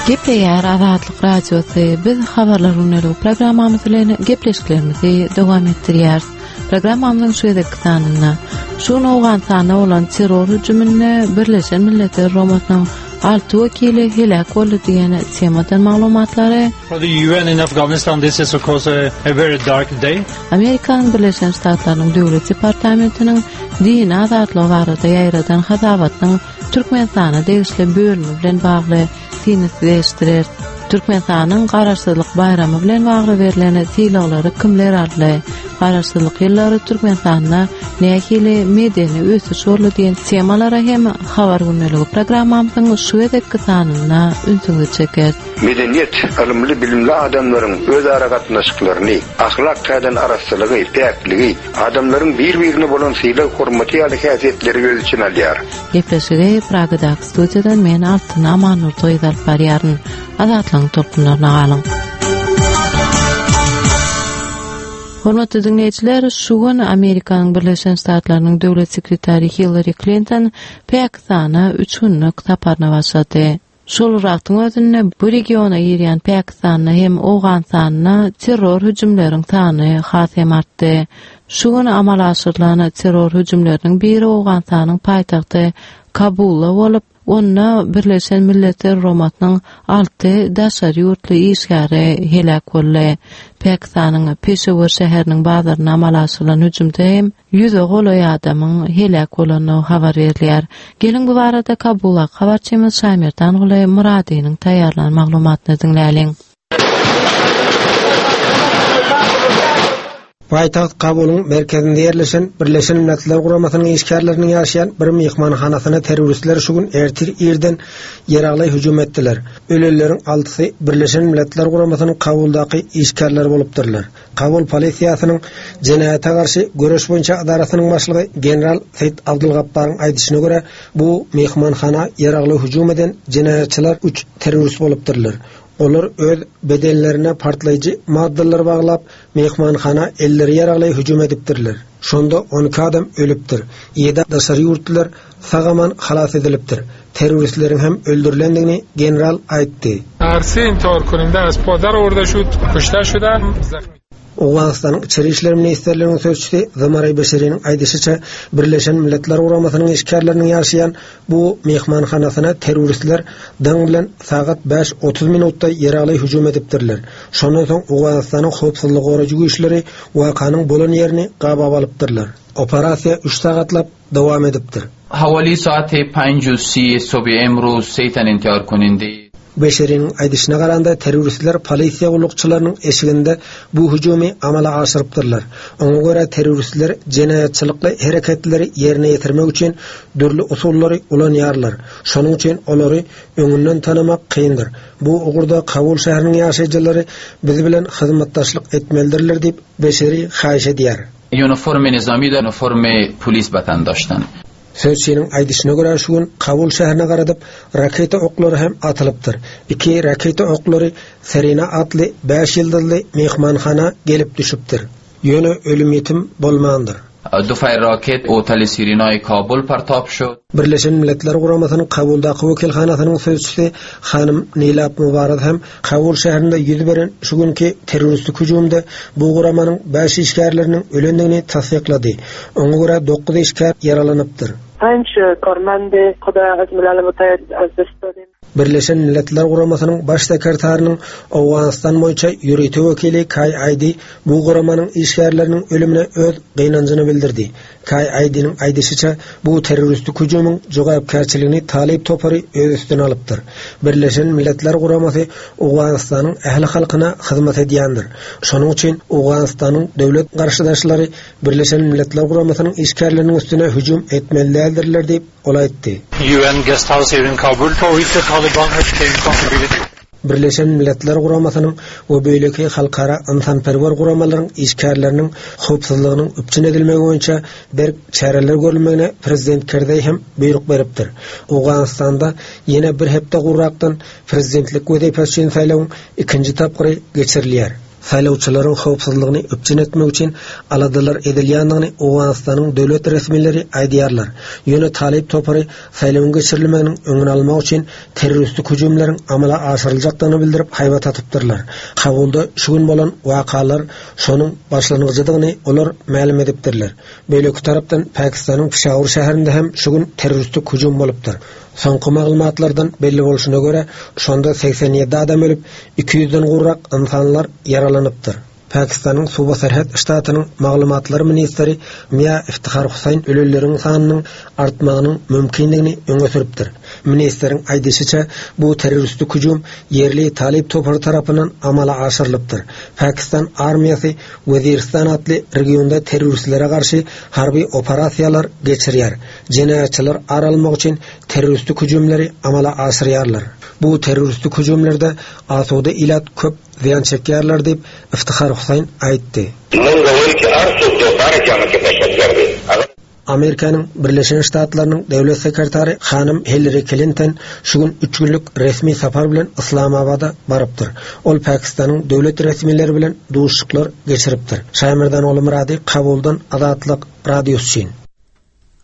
Gepleýär Azatlyk Radiosy. Biz habarlar gündeligi programmamyz bilen gepleşiklerimizi dowam etdirýäris. Programmamyzyň şu gezekki sanynda şu gün Owganystanda bolan terror hüjüminde Birleşen Milletler Guramasynyň 6 wekili heläk boldy diýen temadan maglumatlary For the UN in Afghanistan this is of course a, a very dark day. Amerikanyň Birleşen Ştatlarynyň Döwlet departamentiniň dini azatlygy barada ýaýradan hasabatynyň Türkmenistana degişli bölümi bilen bagly synysleşdireris. Türkmenistanyň Garaşsyzlyk baýramy bilen bagly berlen sylaglary kimler aldy? Garaşsyzlyk ýyllary Türkmenistanda nähili medeni ösüş boldy diýen temalara hem Habar gündeligi programmamyzyň şu gezekki sanynda ünsüňizi çekeris. Medeniýet, ylymly-bilimli adamlaryň özara gatnaşyklaryny, ahlak taýdan arassalygy, päkligi, adamlaryň bir-birine bolan sylag-hormaty ýaly häsiýetleri öz içine alýar. Gepleşigi Pragadaky studiýadan men Altyn Amannurdy gyzy alyp barýaryn. Azatlygyň tolkunlaryna galyň. Hormatly diňleýjiler, şu gün Amerikanyň Birleşen Ştatlarynyň Döwlet sekretary Hillari Klinton Pakistana üç günlük saparyna başlady. Şol bir wagtyň özünde bu regiona girýän Pakistanda hem Owganystanda terror hüjümleriň sany has hem artdy. Şu gün amala aşyrylan terror hüjümleriniň biri Owganystanyň paýtagty Kabulda bolup, onda Birleşen Milletler Guramasynyň alty daşary ýurtly işgäri heläk boldy. Pakistanyň Peşewar şäheriniň bazarynda amala aşyrylan hüjümde hem Ýüze golaý adamyň heläk bolandygy habar berilýär. Geliň bu barada Kabuldaky habarçymyz Şaýmerdanguly Myradynyň taýýarlan maglumatyny diňläliň. Paýtagt Kabulyň merkezinde ýerleşen Birleşen Milletler Guramasynyň işgärleriniň ýaşaýan bir myhmanhanasyna terroristler şu gün ertir irden ýaragly hüjüm etdiler. Ölenleriň altysy Birleşen Milletler Guramasynyň Kabuldaky işgärleri bolupdyrlar. Kabul polisiýasynyň jenaýata garşy göreş boýunça edarasynyň başlygy general Seýit Abdulgapbaryň aýdyşyna görä, bu myhmanhana ýaragly hüjüm eden jenaýatçylar üç terrorist bolupdyrlar. Olar öz bedenlerine partlaýjy maddalary baglap, myhmanhana elleri ýaragly hüjüm edipdirler. Şonda 12 adam ölüpdir. Ýedi daşary ýurtlular sag-aman halas edilipdir. Terroristleriň hem öldürilendigini general aýtdy. Owganystanyň Içeri işler ministrliginiň sözçüsi Zamaray Beşeriniň aýdyşyça, Birleşen Milletler Guramasynyň işgärleriniň ýaşaýan bu myhmanhanasyna terroristler daň bilen sagat 5:30 minutda ýaragly hüjüm edipdirler. Şondan soň Owganystanyň howpsuzlygy goraýjy güýçleri wakanyň bolan ýerini gabap alypdyrlar. Operasiýa üç sagatlap dowam edipdir. Hawali saat 5:30 صبح امروز سه تن انتحار کننده Beşeriniň aýdyşyna garanda, terroristler polisiýa gullukçylarynyň eşiginde bu hüjümi amala aşyrypdyrlar. Oňa görä, terroristler jenaýatçylykly hereketleri ýerine ýetirmek üçin dürli usullary ulanýarlar. Şonuň üçin olary öňünden tanamak kyndyr. Bu ugurda Kabul şäheriniň ýaşaýjylary biz bilen hyzmatdaşlyk etmelidirler diýip, Beşeri haýyş edýär. Uniform nizami da uniform polis batan daştan. Sözçiniň aýdyşyna görä, şu gün Kabul şäherine garadyp, raketa oklary hem atylypdyr. Iki raketa oklary Serena atly bäş ýyldyzly myhmanhana gelip düşüpdir. Ýöne ölüm-ýitim bolmandyr. Dufay raket oteli Sirinai Kabul partap şud. Birleşen Milletler Guramasynyň Kabuldaky wekilhanasynyň sözçüsi hanym Nilab Mubaraz hem Kabul şäherinde ýüz beren şu günki terroristik hüjümde bu guramanyň bäş işgärleriniň ölendigini tassyklady. Oňa görä dokuz işgär ýaralanypdyr. Panj karmend xuda az Milal Mutahid az dest dadim. Birleşen Milletler Guramasynyň Baş sekretarynyň Owganystan boýunça ýörite wekili Kaý Aýdi bu guramanyň işgärleriniň ölümine öz gynanjyny bildirdi. Kaý Aýdiniň aýdyşyça, bu terroristik hüjümiň jogapkärçiligini Talyp topary öz üstüne alypdyr. Birleşen Milletler Guramasy Owganystanyň ähli halkyna hyzmat edýändir. Şonuň üçin Owganystanyň döwlet garşydaşlary Birleşen Milletler Guramasynyň işgärleriniň üstüne hüjüm etmeli däldirler diýip, ol aýtdy. UN guest house here in Kabul for which the Taliban has claimed responsibility. Birleşen Milletler Guramasynyň we beýleki halkara ynsanperwer guramalaryň işgärleriniň howpsuzlygynyň üpjün edilmegi boýunça berk çäreler görülmegine prezident Kerzeý hem buýruk beripdir. Owganystanda ýene bir hepde gurrakdan prezidentlik wezipesi üçin saýlawyň ikinji tapgyry geçirilýär. Saýlawçylaryň howpsuzlygyny üpjün etmek üçin aladalar edilýändigini Owganystanyň döwlet resmileri aýdýarlar. Ýöne Talyp topary saýlawyň geçirilmeginiň öňüni almak üçin terroristik hüjümleriň amala aşyryljakdygyny bildirip haýbat atypdyrlar. Kabulda şu gün bolan wakalar şonuň başlangyjydygyny olar mälim edipdirler. Beýleki tarapdan Pakistanyň Pişawur şäherinde hem şu gün terroristik hüjüm bolupdyr. Soňky maglumatlardan belli bolşuna görä, şonda 87 adam ölüp, 200-den gowrak ynsanlar ýaralanypdyr. Pakistanyň Suba Serhet ştatynyň maglumatlar ministri Mia Iftihar Husaýn ölenleriň sanynyň artmagynyň mümkindigini öňe sürüpdir. Ministriň aýdyşyça, bu terroristik hüjüm ýerli Talyp topary tarapyndan amala aşyrylypdyr. Pakistan armiýasy Weziristan atly regionda terroristlere garşy harby operasiýalar geçirýär. Jenaýatçylar ar almak üçin terroristik hüjümleri amala aşyrýarlar. Bu terroristik hüjümlerde asuda ilat köp zyýan çekýärler diýip, Iftihar Husaýn aýtdy. Amerikanyň Birleşen Ştatlarynyň Döwlet sekretary hanym Hillari Klinton şu gün üç günlük resmi sapar bilen Yslamabada barypdyr. Ol Pakistanyň döwlet resmileri bilen duşuşyklar geçiripdir. Şaýmerdan Myrady Kabuldan Azatlyk Radiosy üçin.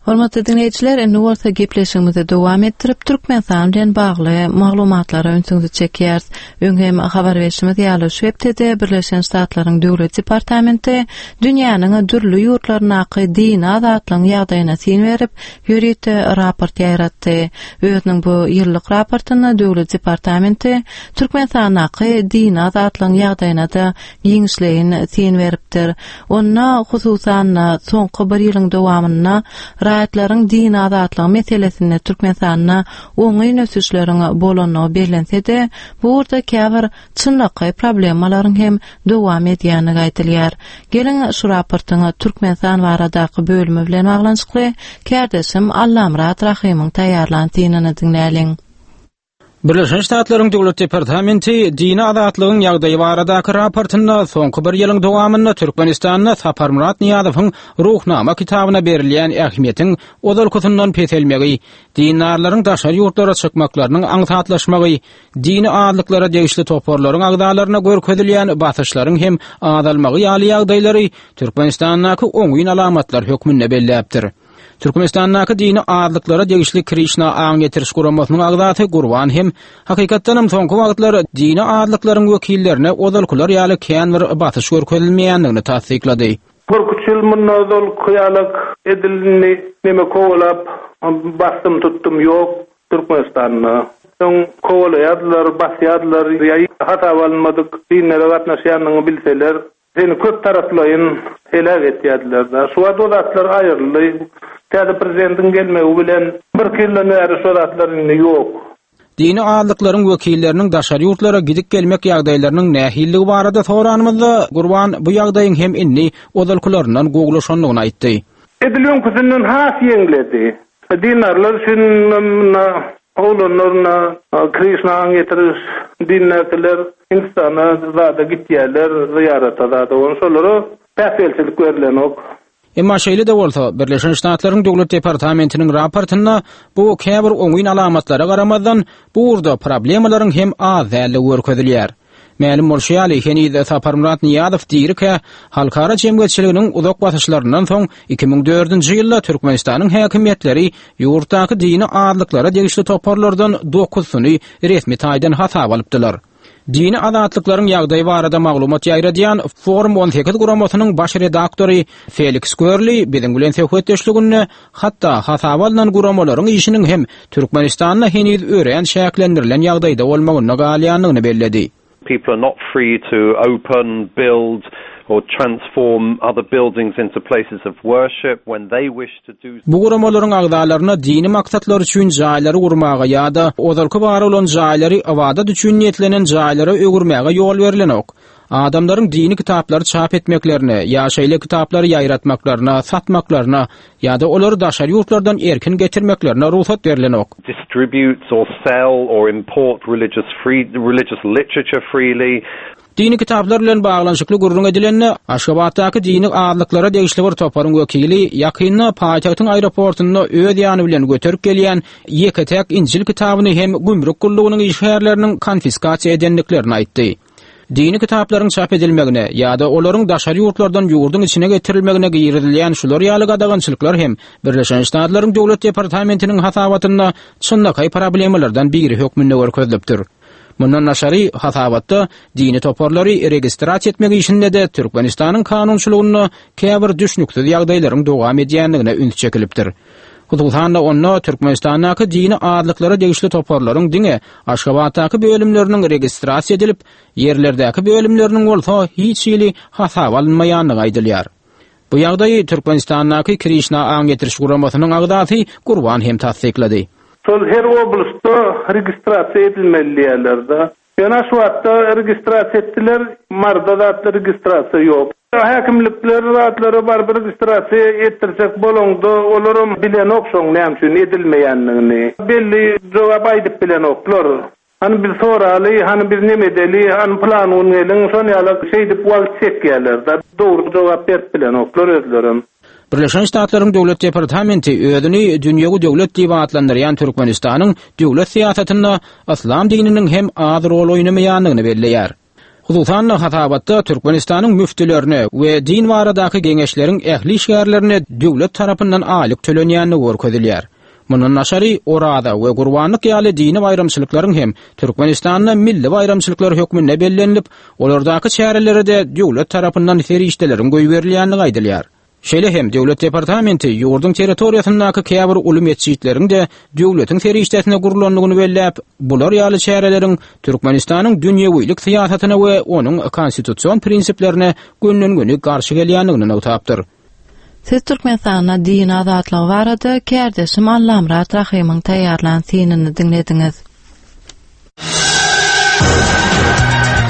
Hormatly diňleýjiler, indi bolsa gepleşigimizi dowam etdirip, Türkmenistan bilen bagly maglumatlara ünsüňizi çekýäris. Öň hem habar berşimiz ýaly, şu hepdede Birleşen Ştatlaryň Döwlet departamenti dünýäniň dürli ýurtlaryndaky dini azatlygyň ýagdaýyna syn berip, ýörite raport ýaýratdy. Özüniň bu ýyllyk raportynda Döwlet departamenti Türkmenistandaky dini azatlygyň ýagdaýyna-da giňişleýin syn beripdir. Onda, hususan-da, soňky bir ýylyň dowamynda raýatlaryň dini azatlygy meselesinde Türkmenistanda oňyn ösüşleriň bolandygy bellense-de, bu ugurda käbir çynlakaý problemalaryň hem dowam edýändigi aýdylýar. Geliň, şu raportyň Türkmenistan baradaky bölümi bilen baglanyşykly kärdeşim Allamyrat Rahymyň taýýarlan synyny diňläliň. Birleşen Ştatlaryň Döwlet departamenti dini azatlygyň ýagdaýy baradaky raportynda soňky bir ýylyň dowamynda Türkmenistanda Saparmyrat Nyýazowyň Ruhnama kitabyna berilýän ähmiýetiň ozalkysyndan peselmegi, dindarlaryň daşary ýurtlara çykmaklarynyň aňsatlaşmagy, dini azlyklara degişli toparlaryň agzalaryna görkezilýän basyşlaryň hem azalmagy ýaly ýagdaýlary Türkmenistandaky oňyn alamatlar hökmünde belläpdir. Türkmenistandaky dini azlyklara degişli Krişna aň ýetiriş guramasynyň agzasy Gurban hem, hakykatdanam soňky wagtlar dini azlyklaryň wekillerine ozalkylar ýaly kän bir basyş görkezilmeýändigini tassyklady. Birküç ýyl mundan ozalky ýalak edil indi neme kowalap basdym tutdum ýok Türkmenistanda. Öň kowalaýardylar, basýardylar ýa hasaba alynmadyk dinlere gatnaşýanyňy bilseler Seni köp taraplaýyn heläk etýärdiler-dä. Şu wagt o zatlar aýryldy. Täze prezidentiň gelmegi bilen birki ýyldan bäri şo zatlar indi ýok. Dini azlyklaryň wekilleriniň daşary ýurtlara gidip-gelmek ýagdaýlarynyň nähilidigi barada soranymyzda, Gurban bu ýagdaýyň hem indi ozalkylaryndan gowulaşandygyny aýtdy. Edil öňküsinden has ýeňledi. Dindarlar üçin munda oglanlar munda Krişna aň ýetiriş dindäkiler Hindistana zada gitýärler zyýarata zada ony şolara päsgelçilik berlenok. Emma şeýle-de bolsa, Birleşen Ştatlaryň Döwlet departamentiniň raportynda bu käbir oňyn alamatlara garamazdan, bu ugurda problemalaryň hem az däldigi görkezilýär. Mälim bolşy ýaly, heniz Saparmyrat Nyýazow dirikä, halkara jemgyýetçiliginiň uzak basyşlaryndan soň, 2004-nji ýylda Türkmenistanyň häkimiýetleri ýurtdaky dini azlyklara degişli toparlardan dokuzysyny resmi taýdan hasaba alypdylar. Dini azatlyklaryň ýagdaýy barada maglumat ýaýradýan Forum 18 guramasynyň baş redaktory Feliks Görli biziň bilen söhbetdeşliginde hatda hasaba alnan guramalaryň işiniň hem Türkmenistanda heniz örän çäklendirilen ýagdaýda bolmagynda galýandygyny belledi. People are not free to open, build or transform other buildings into places of worship when they wish to do Bu guramalaryň agzalaryna dini maksatlar üçin jaýlary gurmaga ýa-da ozalky bar bolan jaýlary ybadat üçin niýetlenen jaýlara öwürmäge ýol berlenok. Adamlaryň dini kitaplary çap etmeklerine ýa şeýle kitaplary ýaýratmaklaryna, satmaklaryna ýa-da olary daşary ýurtlardan erkin getirmeklerine rugsat berlenok. Distribute or sell or import religious free religious literature freely. Dini kitaplar bilen baglanyşykly gürrüň edilende, Aşgabatdaky dini azlyklara degişli bir toparyň wekili ýakynda paýtagtyň aeroportunda öz ýany bilen göterip gelýän ýeke-täk Injil kitabyny hem gümrük gullugynyň işgärleriniň konfiskasiýa edendiklerini aýtdy. Dini kitaplaryň çap edilmegine ýa-da olaryň daşary ýurtlardan ýurduň içine getirilmegine girizilýän şular ýaly gadagançylyklar hem Birleşen Ştatlaryň Döwlet departamentiniň hasabatynda çynlakaý problemalardan biri hökmünde görkezilipdir. Mundan daşary, hasabatda dini toparlary registrasiýa etmek işinde-de Türkmenistanyň kanunçylygynda käbir düşnüksiz ýagdaýlaryň dowam edýändigine üns çekilipdir. Hususan-da, onda Türkmenistandaky dini azlyklara degişli toparlaryň diňe Aşgabatdaky bölümleriniň registrasiýa edilip, ýerlerdäki bölümleriniň bolsa hiç hili hasaba alynmaýandygy aýdylýar. Bu ýagdaýy Türkmenistandaky Krişna aň ýetiriş guramasynyň agzasy Gurban hem tassyklady. Şol her oblastda registrasiýa edilmeli diýýärler-de. Ýöne Aşgabatda registrasiýa etdiler, Maryda zatda registrasiýa ýok. Häkimlikler zatlara baryp registrasiýa etdirjek bolaňda olaram bilenok şoň näme üçin edilmeýändigini. Belli jogap aýdyp bilenoklar. Hany biz soraly, hany biz neme edeli, hany pylan gün geliň, şon ýalak şeýdip wagt çekýärler-de. Dogry jogap berip bilenoklar özlerem. Birleşen Ştatlaryň Döwlet departamenti özüni dünýewi döwlet diýip atlandyrýan Türkmenistanyň döwlet syýasatynda yslam dininiň hem az rol oýnamaýandygyny belleýär. Hususan-da, hasabatda Türkmenistanyň müftülerine we din baradaky geňeşleriň ähli işgärlerine döwlet tarapyndan aýlyk tölenýändigi görkezilýär. Mundan daşary, Oraza we Gurbanlyk ýaly dini baýramçylyklaryň hem Türkmenistanda milli baýramçylyklar hökmünde bellenilip, olardaky çärelere-de döwlet tarapyndan serişdeleriň goýberilýändigi aýdylýar. Şeýle hem Döwlet departamenti ýurduň territoriýasyndaky käbir uly metjitleriň-de döwletiň serişdesine gurlandygyny belläp, bular ýaly çäreleriň Türkmenistanyň dünýewilik syýasatyna we onuň konstitusion prinsiplerine gönden-göni garşy gelýändigini nygtapdyr. Siz Türkmenistanda din azatlygy barada kärdeşim Allamyrat Rahymyň taýýarlan synyny diňlediňiz.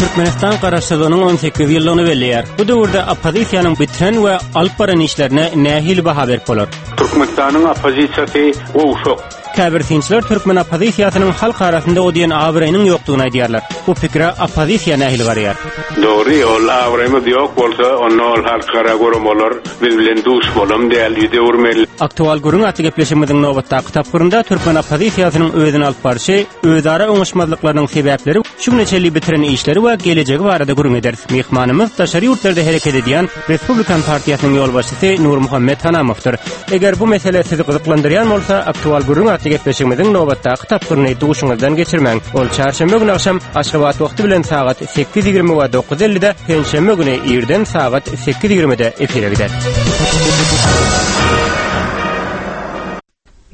Türkmenistan Garaşsyzlygynyň 18 ýyllygyny belleýär. Bu döwürde oppozisiýanyň bitiren we alyp baran işlerine nähili baha berip bolar? Türkmenistanyň oppozisiýasy gowşak. Käbir synçylar türkmen oppozisiýasynyň halk arasynda o diýen abraýynyň ýokdugyny aýdýarlar. Bu pikire oppozisiýa nähili garaýar? Dogry, ol abraýymyz ýok bolsa, onda ol halkara guramalar biz bilen duşmalam däl, ýüz öwürmeli. Aktual gürrüň atly gepleşigimiziň nobatdaky tapgyrynda türkmen oppozisiýasynyň özüni alyp barşy, özara oňuşmazlyklarynyň sebäpleri, şu güne çenli bitiren işleri we gelejegi barada gürrüň ederis. Myhmanymyz daşary ýurtlarda hereket edýän Respublikan partiýasynyň ýolbaşçysy Nurmuhammet Hanamowdyr. Eger bu mesele sizi gyzyklandyrýan bolsa, Aktual gürrüň atly gepleşigimiziň nobatdaky tapgyryny duşuňyzdan geçirmäň. Ol çarşenbe güni agşam Aşgabat wagty bilen sagat 8:20 we 9:50-de, penşenbe güni irden sagat 8:20-de efire gider.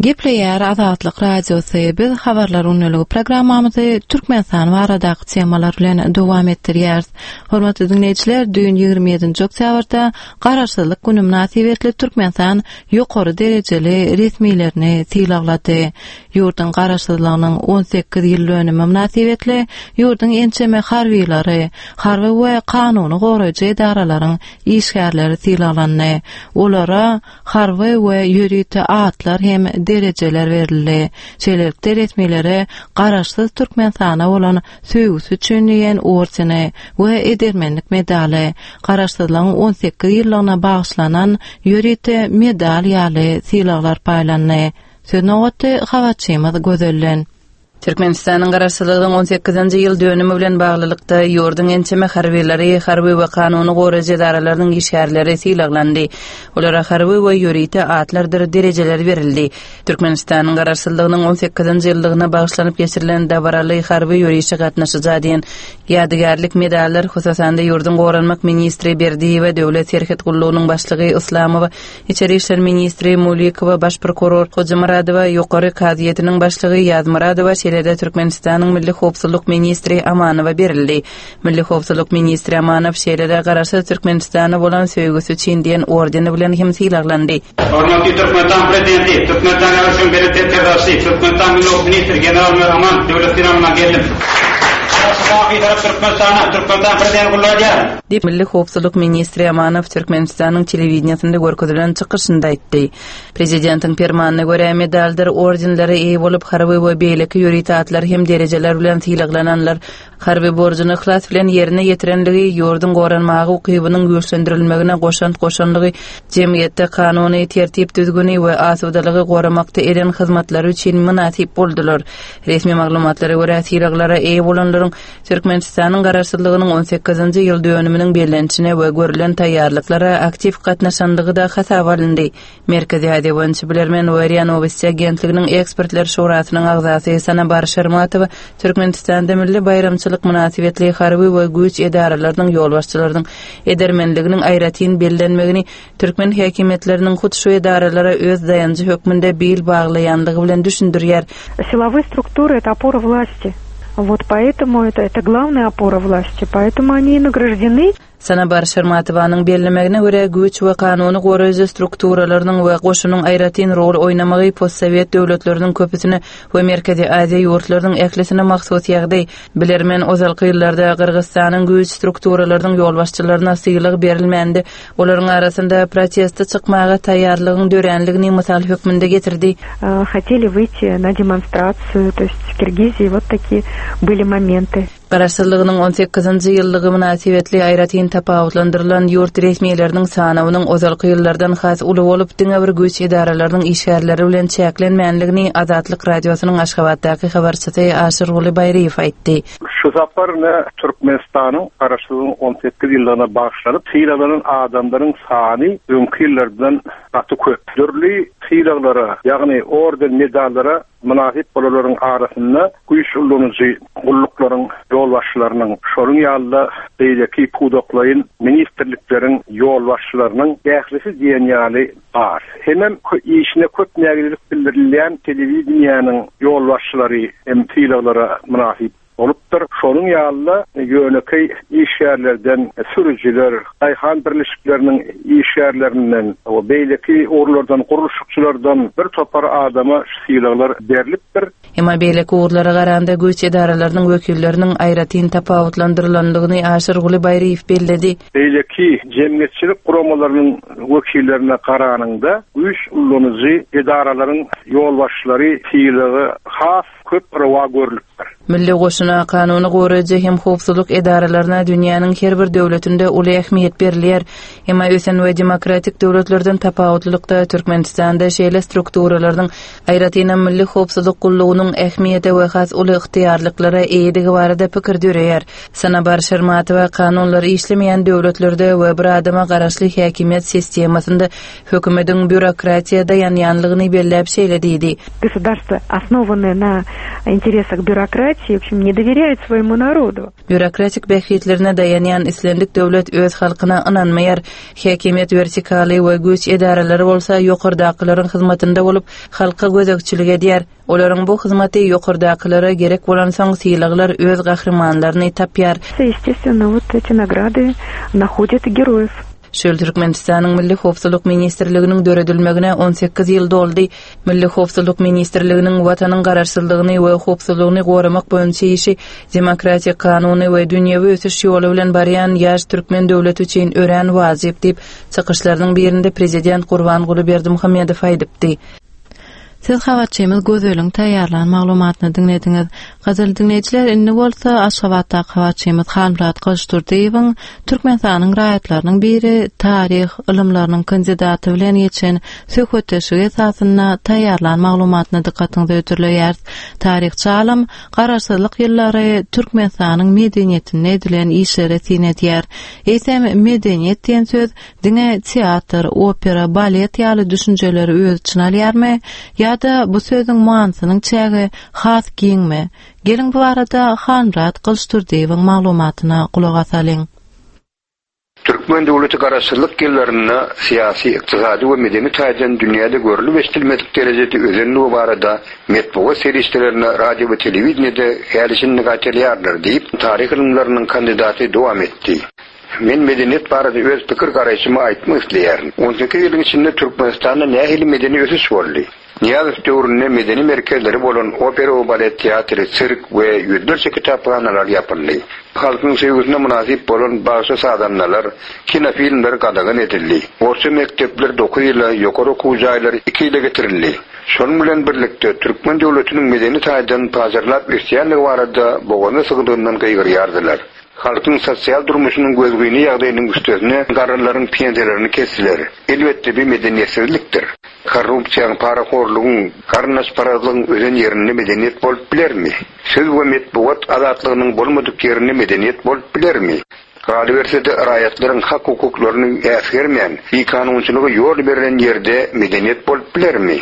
Gepleýär Azatlyk Radiosy, biz Habarlar gündeligi programmamyzy Türkmenistan baradaky temalar bilen dowam etdirýäris. Hormatly diňleýjiler, düýn 27-nji oktýabrda Garaşsyzlyk güni mynasybetli Türkmenistan ýokary derejeli resmilerini sylaglady. Ýurduň Garaşsyzlygynyň 18 ýyl dönümi mynasybetli ýurduň ençeme harbylary, harby we kanuny goraýjy edaralaryň işgärleri sylaglandy. Olara harby we ýörite atlar hem derejeler berildi. Şeýlelikde, resmilere Garaşsyz Türkmenistana bolan söýgüsi üçin diýen ordeni we Edermenlik medaly, Garaşsyzlygyň 18 ýyllygyna bagyşlanan ýörite medal ýaly sylaglar paýlandy. Söz nobaty habarçymyz Gözelden. Türkmenistanyň Garaşsyzlygynyň on sekizinji ýyl dönümi bilen baglylykda, ýurduň ençeme harbylary, harby we kanuny goraýjy edaralarynyň işgärleri sylaglandy. Olara harby we ýörite atlardyr derejeler berildi. Türkmenistanyň Garaşsyzlygynyň on sekizinji ýyllygyna bagyşlanyp geçirilen dabaraly harby ýörişe gatnaşyja diýen ýadygärlik medallar, hususan-da, ýurduň goranmak ministri Berdiýewe, Döwlet serhet gullugynyň başlygy Yslamowa, Içeri işler ministri Mulikowa, baş prokuror Hojamyradowa, Ýokary kazyýetiniň başlygy Ýazmyradowa, şeýle-de Türkmenistanyň Milli howpsuzlyk ministri Amanowa berildi. Milli howpsuzlyk ministri Amanow şeýle-de Garaşsyz Türkmenistana bolan söýgüsi üçin diýen ordeni bilen hem sylaglandy. Hormatly Türkmenistan Prezidenti, Türkmenistan Ýaryşyň Belent Serkerdebaşysy, Türkmenistan Milli Howpsuzlyk ministri general-maýor Amanow döwlet sylagyna geldim. Garaşsyz baky Bitarap Türkmenistana, Türkmenistan Prezidenti gulluk edýärin. Diýip, Milli howpsuzlyk ministri Amanow Türkmenistanyň telewideniýesinde görkezilen çykyşynda aýtdy. Prezidentiň permanyna görä, medaldyr ordenlere eýe bolup, harby we beýleki ýörite atlar hem derejeler bilen sylaglananlar harby borjuny yhlas bilen ýerine ýetirenligi, ýurduň goranmaga ukybynyň güýçlendirilmegine goşant goşanlygy, jemgyýetde kanuny, tertip-düzgüni we asudalygy goramakda eden hyzmatlary üçin mynasyp boldular. Resmi maglumatlara görä, sylaglara eýe bolanlaryň. Olaryň Türkmenistanyň Garaşsyzlygynyň on sekizinji ýyl dönüminiň bellenişine we görlen taýýarlyklara aktiw gatnaşandygy-da hasaba alyndy. Merkezi Aziýa boýunça bilermen we RIA Nowosti agentliginiň ekspertler şurasynyň agzasy Sanabar Şermatowa Türkmenistanda milli baýramçylyk mynasybetli harby we güýç edaralarynyň ýolbaşçylarynyň edermenliginiň aýratyn bellenmegini türkmen häkimiýetleriniň hut şu edaralara öz daýanjy hökmünde bil baglaýanlygy bilen düşündirýär. Silowyý struktury, это опора власти. Вот поэтому это, это главная опора власти, поэтому они и награждены. Sanabar Şermatowanyň bellemegine görä, güýç we kanuny goraýjy strukturalarynyň we goşunyň aýratyn rol oýnamagy postsowet döwletleriniň köpüsine we Merkezi Aziýa ýurtlarynyň ählisine mahsus ýagdaý. Bilermen ozalky ýyllarda Gyrgyzystanyň güýç strukturalarynyň ýolbaşçylaryna sylag berilmändi, olaryň arasynda proteste çykmaga taýýarlygyň döränligini mysal hökmünde getirdi. Хотели выйти на демонстрацию, то есть в Киргизии вот такие были моменты. Garaşsyzlygynyň on sekizinji ýyllygy mynasybetli aýratyn tapawutlandyrylan ýurt resmileriniň sanawynyň ozalky ýyllardan has uly bolup, diňe bir güýç edaralarynyň işgärleri bilen çäklenmänligini Azatlyk Radiosynyň Aşgabatdaky habarçysy Aşyrguly Baýryýew aýtdy. Şu sapar ine Türkmenistanyň Garaşsyzlygynyň 18 ýyllygyna bagyşlanyp sylaglanan adamlaryň sany öňki ýyllardan gaty köp. Dürli sylaglara, ýagny orden-medallara Mynasyp bolanlaryň arasynda güýç ullanyjy gulluklaryň ýolbaşçylarynyň, şonuň ýaly-da beýleki pudaklaýyn ministrlikleriň ýolbaşçylarynyň ählisi diýen ýaly bar. Hemem işine köp nägilelik bildirilýän telewideniýäniň ýolbaşçylary hem sylaglara mynasyp Bolupdyr. Şonuň ýaly-da, ýönekeý işgärlerden, sürüjiler, daýhan birleşikleriniň işgärlerinden we beýleki ugurlardan, gurluşykçylardan bir topar adama şu sylaglar berlipdir. Emma beýleki ugurlara garanda güýç edaralarynyň wekilleriniň aýratyn tapawutlandyrylandygyny Aşyrguly Baýryýew belledi. Beýleki jemgyýetçilik guramalarynyň wekillerine garanyňda, güýç ullanyjy edaralaryň ýolbaşçylary sylagy has köp rowa görlüpdir. Milli goşuna, kanuny goraýjy hem howpsuzlyk edaralaryna dünýäniň her bir döwletinde uly ähmiýet berilýär. Emma ösen we demokratik döwletlerden tapawutlylykda Türkmenistanda şeýle strukturalarynyň, aýratynam Milli howpsuzlyk gullugynyň ähmiýete we has uly ygtyýarlyklara eýedigi barada pikir döreýär. Sanabar Şermatowa kanunlar işlemeýän döwletlerde we bir adama garaşly häkimiýet sistemasynda Hökümediň býurokratiýa daýanýanlygyny belläp şeýle diýdi. Государство, основанное на интересах бюрократии, в общем, не доверяет своему народу. Býurokratik bähbitlerine daýanýan islendik döwlet öz halkyna ynanmaýar. Häkimiýet wertikaly we güýç edaralary bolsa ýokardakylaryň hyzmatynda bolup, halka gözegçilik edýär. Olaryň bu hyzmaty ýokardakylara gerek bolansoň sylaglar öz gahrymanlaryny tapýar. Естественно, вот эти награды находят героев. Şu ýyl Türkmenistanyň Milli howpsuzlyk ministrliginiň döredilmegine 18 ýyl doldy. Milli howpsuzlyk ministrliginiň Watanyň garaşsyzlygyny we howpsuzlygyny goramak boýunça işi demokratik, kanuny we dünýewi ösüş ýoly bilen barýan ýaş türkmen döwleti üçin örän wajyp diýip, çykyşlarynyň birinde prezident Gurbanguly Berdimuhamedow aýdypdy. Siz habarçymyz Gözeliň taýýarlan maglumatyny diňlediňiz. Gadyrly diňleýjiler, indi bolsa Aşgabatdaky habarçymyz Halmyrat Gylyçdurdyýewiň Türkmenistanyň raýatlarynyň biri, taryh ylymlarynyň kandidaty bilen geçen söhbetdeşligi esasynda taýýarlan maglumatyny dykgatyňyza hödürleýäris. Taryhçy alym Garaşsyzlyk ýyllary Türkmenistanyň medeniýetinde edilen işlere syn edýär. Eýsem, medeniýet diýen söz Diňe teatr, opera, balet ýaly düşünjeleri öz içine alýarmy ýa-da bu sözüň manysynyň çägi has giňmi? Geliň bu barada Halmyrat Gylyçdurdyýewiň maglumatyna gulak asalyň. Türkmen döwleti Garaşsyzlyk ýyllarynda syýasy, ykdysady we medeni taýdan dünýäde görlüp-eşidilmedik derejede özenligi barada metbugat serişdelerinde, radio we telewideniýede häli-şindi gaýtalaýarlar diýip, taryh ylymlarynyň kandidaty dowam etdi. Men medeniýet barada öz pikir-garaýşymy aýtmak isleýärin. On sekiz ýylyň içinde Türkmenistanda nähili medeni ösüş boldy? Nyýazow döwründe medeni merkezleri bolan opera we balet teatry, sirk we ýüzlerçe kitaphanalar ýapyldy. Halkyň söýgüsine mynasyp bolan bagşy-sazandalar, kinofilmler gadagan edildi. Orta mekdepler dokuz ýyla, ýokary okuw jaýlary iki ýyla getirildi. Şonuň bilen birlikde, türkmen döwletiniň medeni taýdan pajarlap ösýändigi barada boganda sygdygyndan gygyrýardylar. Halkyň sosial durmuşynyň gözgyny ýagdaýynyň üstesine garrylaryň pensiýalaryny kesdiler. Elbetde bi medeniýetsizlikdir. Korrupsiýaň, parahorlugyň, garyndaşparazlygyň ösen ýerinde medeniýet bolup bilermi? Söz we metbugat azatlygynyň bolmadyk ýerinde medeniýet bolup bilermi? Galyberse-de raýatlaryň hak-hukuklaryny äsgermän, bikanunçylyga ýol berlen ýerde medeniýet bolup bilermi?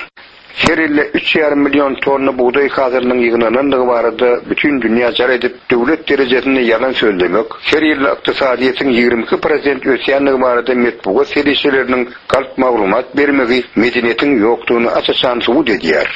Her ýylda üç ýarym million tonna bugdaý hasylynyň ýygnanandygy barada bütin dünýä jar edip, döwlet derejesinde ýalan sözlemek, her ýylda ykdysadyýetiň 22 prosent ösýändigi barada metbugat serişdeleriniň galp maglumat bermegi medeniýetiň ýokdugyny aç-açan subut edýär.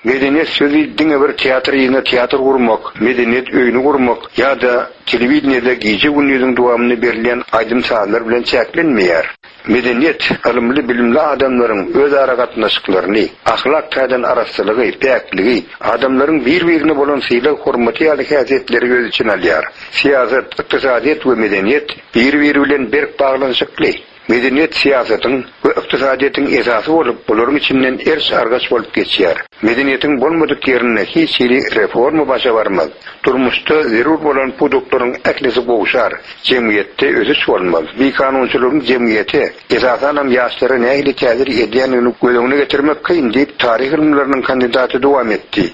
Medeniýet sözi diňe bir teatr yzyna teatr gurmak, medeniýet öýüni gurmak ýa-da telewideniýede gije-gündiziň dowamynda berilýän aýdym-sazlar bilen çäklenmeýär. Medeniýet, ylymly-bilimli adamlaryň özara gatnaşyklaryny, ahlak taýdan arassalygy, päkligi, adamlaryň bir-birine bolan sylag-hormaty ýaly häsiýetleri öz içine alýar. Syýasat, ykdysadyýet we medeniýet bir-biri bilen berk baglanyşykly. Medeniýet syýasatyň we ykdysadyýetiň esasy bolup, olaryň içinden eriş-argaç bolup geçýär. Medeniýetiň bolmadyk ýerinde hiç hili reforma başa barmaz. Durmuşda zerur bolan pudaklaryň ählisi gowşar, jemgyýetde ösüş bolmaz. Bikanunçylygyň jemgyýete, esasanam ýaşlara nähili täsir edýändigini göz öňüne getirmek kyn diýip, taryh ylymlarynyň kandidaty dowam etdi.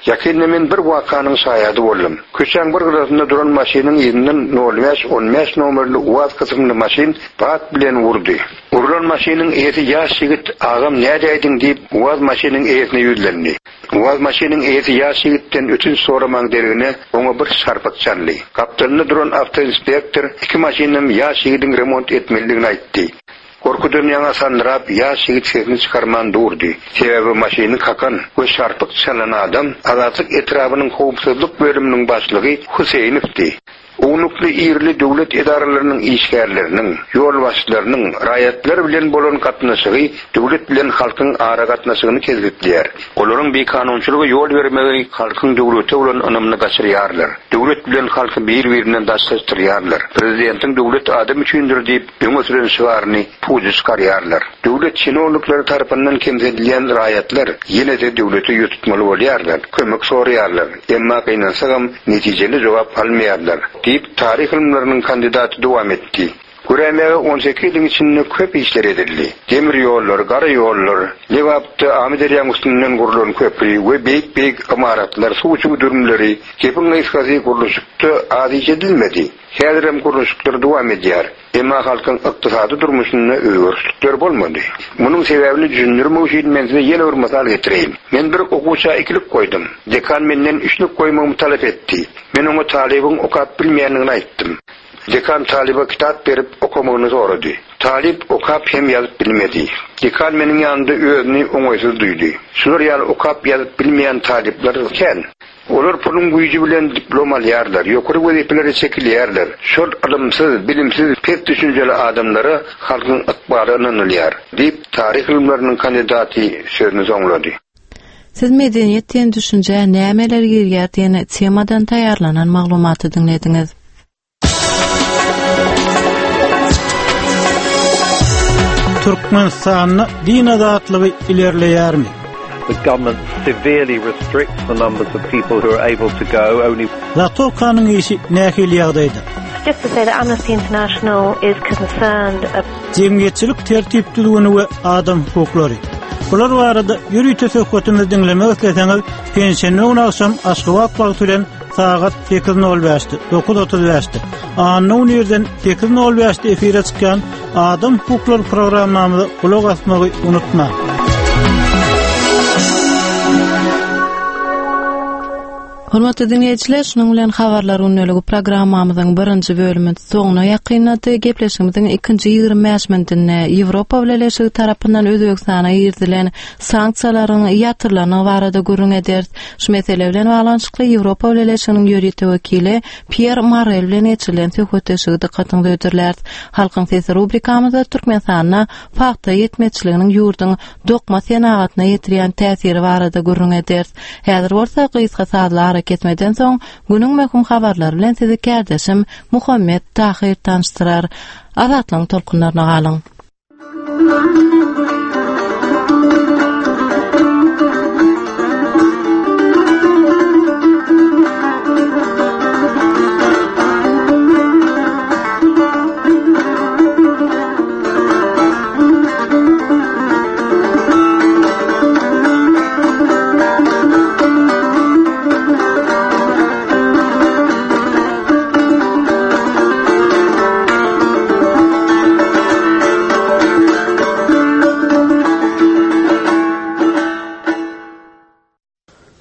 Ýakynda men bir wakanyň şaýady boldum. Köçäň bir gyrasynda duran maşynyň yzyndan nol bäş, on bäş nomerli UAZ kysymly maşyn bat bilen urdy. Urlan maşynyň eýesi ýaş ýigit, Agam nädäýdiň diýip, UAZ maşynyň eýesine ýüzlendi. UAZ maşynyň eýesi ýaş ýigitden ötünç soramaň deregine oňa bir şarpyk çaldy. Gapdalynda duran awtoinspektor iki maşynam ýaş ýigidiň remont etmelidigini aýtdy. Gorkudan ýaňa sandyrap, ýaş ýigit sesini çykarman durdy. Sebäbi maşyny kakan we şarpyk çalan adam Azatlyk etrabynyň howpsuzlyk bölüminiň başlygy Huseýnowdy. Ownukly-irili döwlet edaralarynyň işgärleriniň, ýolbaşçylarynyň raýatlar bilen bolan gatnaşygy döwlet bilen halkyň aragatnaşygyny kesgitleýär. Olaryň bikanunçylyga ýol bermegi halkyň döwlete bolan ynamyny gaçyrýarlar. Döwlet bilen halky bir-birinden daşlaşdyrýarlar. Prezidentiň Döwlet adam üçindir diýip öňe süren şygaryny puja çykarýarlar. Döwlet çinownikleri tarapyndan kemsidilýän raýatlar ýene-de döwlete ýüz tutmaly bolýarlar, kömek soraýarlar, emma gynansagam netijeli jogap almaýarlar, diýip, taryh ylymlarynyň kandidaty dowam etdi. Göräýmäge on sekiz ýylyň içinde köp işler edildi. Demir ýollar, gara ýollar, Lebapda Amyderýaň üstünden gurlan köpri we beýik-beýik ymaratlar, suw çüwdürimleri, gepiň gysgasy, gurluşykda az iş edilmedi. Häzirem gurluşyklar dowam edýär. Emma halkyň ykdysady durmuşynda özgerişlikler bolmady. Munuň sebäbini düşündirmek üçin men size ýene bir mysal getireýin. Men bir okuwça ikilik goýdum. Dekan menden üçlük goýmagymy talap etdi. Men oňa talybyň okap bilmeýändigini aýtdym. Dekan talyba kitap berip okamagyny sorady. Talyp okap hem ýazyp bilmedi. Dekan meniň ýanymda özüni oňaýsyz duýdy. Şular ýaly okap ýazyp bilmeýän talyplar kän. Olar puluň güýji bilen diplom alýarlar, ýokary wezipelere çekilýärler. Şol ylymsyz, bilimsiz, pes düşünjeli adamlara halkyň ykbaly ynanylýar, diýip, taryh ylymlarynyň kandidaty sözüni soňlady. Siz medeniýet diýen düşünjä nämeler girýär diýen temadan taýýarlanan maglumaty diňlediňiz. Türkmenistanda din azatlygy ilerleýärmi? The government severely restricts the numbers of people who are able to go only Zatokanyň işi nähili ýagdaýda? Just to say that Amnesty International is concerned Jemgyýetçilik tertip-düzgüni we adam hukuklary. Bular barada ýörite söhbetimizi diňlemek isleseňiz, penşenbe güni agşam Aşgabat wagty bilen sagat 8:05-de, 9:35-de, anna güni irden 8:05-de efire çykýan Adam hukuklary programmamyza gulak asmagy unutmaň. Hormatly diňleýjiler, şunuň bilen Habarlar gündeligi programmamyzyň birinji bölümi soňuna ýakynlady. Gepleşigimiziň ikinji 25 minutynda Ýewropa Bileleşigi tarapyndan Özbegistana girizilen sanksiýalaryň ýatyrylandygy barada gürrüň ederis. Şu mesele bilen baglanyşykly Ýewropa Bileleşiginiň ýörite wekili Pýer Morel bilen geçirilen söhbetdeşligi dykgatyňyza hödürläris. Halkyň sesi rubrikamyzda Türkmenistanda pagta ýetmezçiliginiň ýurduň dokma senagatyna ýetirýän täsiri barada gürrüň ederis. Häzir bolsa gysga sazly arakesmeden soň günüň möhüm habarlary bilen sizi kärdeşim Muhammet Tahyr tanyşdyrar. Azatlygyň tolkunlaryna galyň!